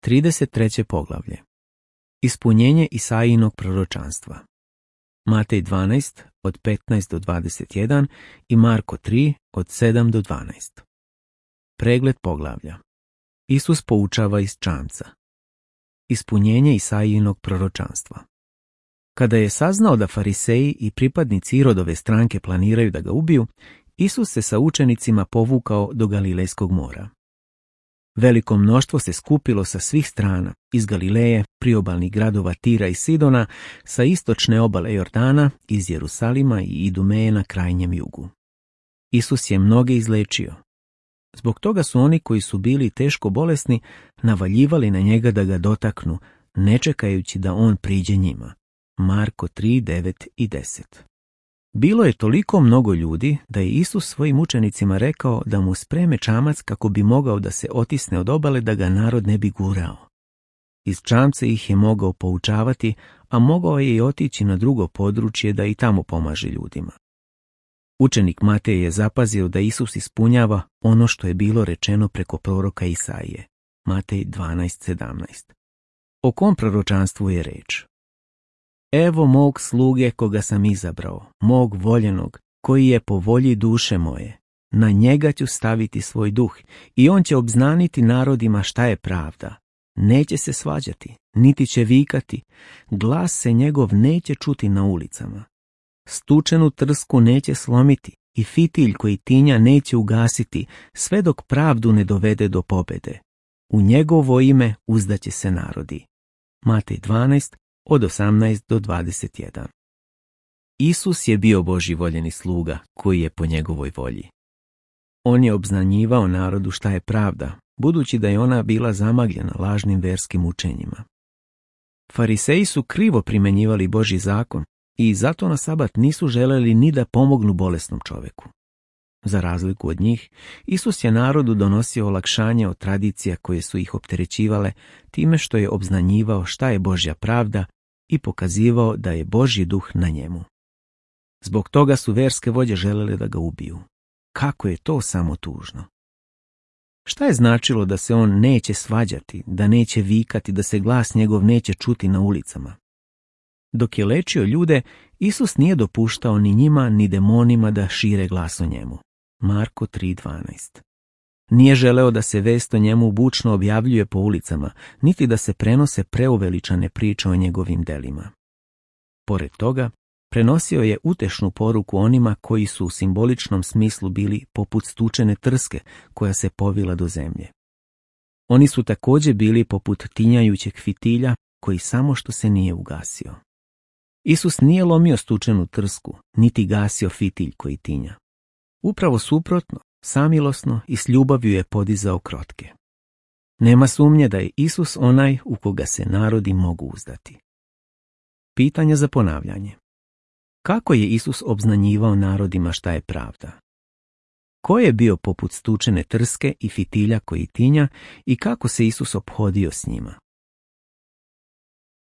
33. poglavlje. Ispunjenje Isaijinog proročanstva. Matej 12 od 15 do 21 i Marko 3 od 7 do 12. Pregled poglavlja. Isus poučava iz čamca. Ispunjenje Isaijinog proročanstva. Kada je saznao da fariseji i pripadnici Irodove stranke planiraju da ga ubiju, Isus se sa učenicima povukao do Galilejskog mora. Veliko mnoštvo se skupilo sa svih strana, iz Galileje, priobalnih gradova Tira i Sidona, sa istočne obale Jordana, iz Jerusalima i Idumeje na krajnjem jugu. Isus je mnoge izlečio. Zbog toga su oni koji su bili teško bolesni navaljivali na njega da ga dotaknu, ne čekajući da on priđe njima. Marko 3, 9 i 10. Bilo je toliko mnogo ljudi da je Isus svojim učenicima rekao da mu spreme čamac kako bi mogao da se otisne od obale da ga narod ne bi gurao. Iz čamca ih je mogao poučavati, a mogao je i otići na drugo područje da i tamo pomaže ljudima. Učenik Matej je zapazio da Isus ispunjava ono što je bilo rečeno preko proroka Isaije. Matej 12:17. O kom proročanstvu je reč? Evo mog sluge koga sam izabrao, mog voljenog, koji je po volji duše moje. Na njega ću staviti svoj duh i on će obznaniti narodima šta je pravda. Neće se svađati, niti će vikati, glas se njegov neće čuti na ulicama. Stučenu trsku neće slomiti i fitilj koji tinja neće ugasiti, sve dok pravdu ne dovede do pobjede. U njegovo ime uzdaće se narodi. Matej 12 od 18 do 21. Isus je bio Božji voljeni sluga koji je po njegovoj volji. On je obznanjivao narodu šta je pravda, budući da je ona bila zamagljena lažnim verskim učenjima. Fariseji su krivo primenjivali Božji zakon i zato na sabat nisu želeli ni da pomognu bolesnom čoveku. Za razliku od njih, Isus je narodu donosio olakšanje od tradicija koje su ih opterećivale time što je obznanjivao šta je Božja pravda i pokazivao da je Božji duh na njemu. Zbog toga su verske vođe želele da ga ubiju. Kako je to samo tužno. Šta je značilo da se on neće svađati, da neće vikati, da se glas njegov neće čuti na ulicama? Dok je lečio ljude, Isus nije dopuštao ni njima ni demonima da šire glas o njemu. Marko 3:12. Nije želeo da se vest o njemu bučno objavljuje po ulicama, niti da se prenose preuveličane priče o njegovim delima. Pored toga, prenosio je utešnu poruku onima koji su u simboličnom smislu bili poput stučene trske koja se povila do zemlje. Oni su također bili poput tinjajućeg fitilja koji samo što se nije ugasio. Isus nije lomio stučenu trsku, niti gasio fitilj koji tinja. Upravo suprotno, samilosno i s ljubavlju je podizao krotke. Nema sumnje da je Isus onaj u koga se narodi mogu uzdati. Pitanja za ponavljanje. Kako je Isus obznanjivao narodima šta je pravda? Ko je bio poput stučene trske i fitilja koji tinja i kako se Isus ophodio s njima?